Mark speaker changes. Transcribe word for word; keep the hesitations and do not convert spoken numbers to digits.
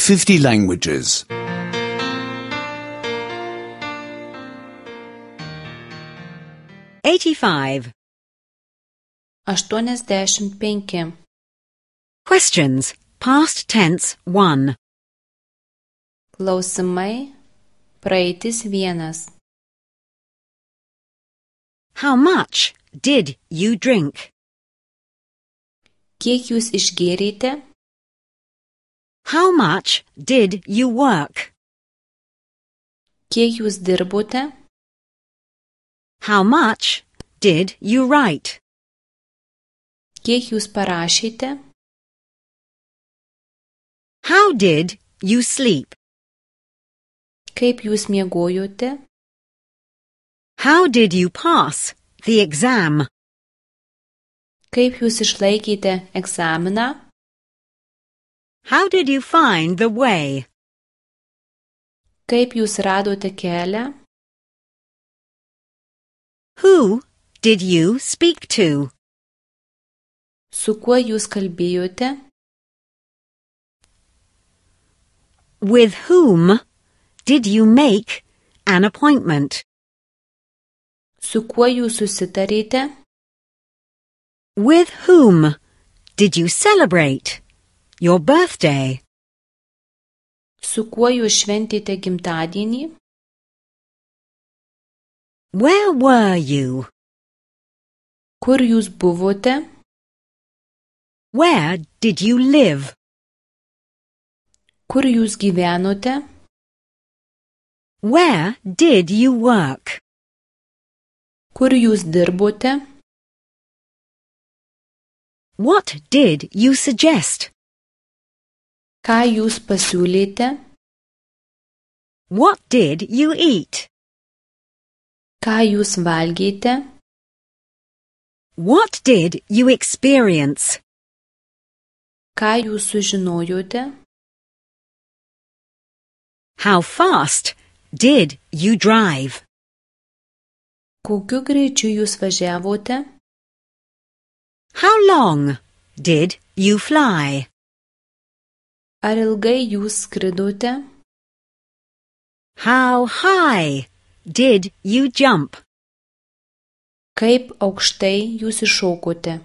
Speaker 1: fifty languages.
Speaker 2: eighty-five.
Speaker 3: aštuoniasdešimt penki.
Speaker 2: Questions. Past tense one.
Speaker 3: Klausimai. Praeitis vienas.
Speaker 2: How much did you drink?
Speaker 3: Kiek jūs išgėrėte?
Speaker 2: How much did you work?
Speaker 3: Kiek jūs dirbote?
Speaker 2: How much did you write?
Speaker 3: Kiek jūs parašėte?
Speaker 2: How did you sleep?
Speaker 3: Kaip jūs miegojote?
Speaker 2: How did you pass the exam?
Speaker 3: Kaip jūs išlaikėte egzaminą?
Speaker 2: How did you find the way?
Speaker 3: Kaip jūs radote kelią?
Speaker 2: Who did you speak to?
Speaker 3: Su kuo jūs kalbėjote?
Speaker 2: With whom did you make an appointment?
Speaker 3: Su kuo jūs susitarėte?
Speaker 2: With whom did you celebrate your birthday?
Speaker 3: Su kuo jūs šventėte gimtadienį?
Speaker 2: Where were you?
Speaker 3: Kur jūs buvote?
Speaker 2: Where did you live?
Speaker 3: Kur jūs gyvenote?
Speaker 2: Where did you work?
Speaker 3: Kur jūs dirbote?
Speaker 2: What did you suggest?
Speaker 3: Ką jūs pasiūlėte?
Speaker 2: What did you eat?
Speaker 3: Ką jūs valgėte?
Speaker 2: What did you experience?
Speaker 3: Ką jūs sužinojote?
Speaker 2: How fast did you drive?
Speaker 3: Kokiu greičiu jūs važiavote?
Speaker 2: How long did you fly?
Speaker 3: Ar ilgai jūs skridote?
Speaker 2: How high did you jump?
Speaker 3: Kaip aukštai jūs iššokote?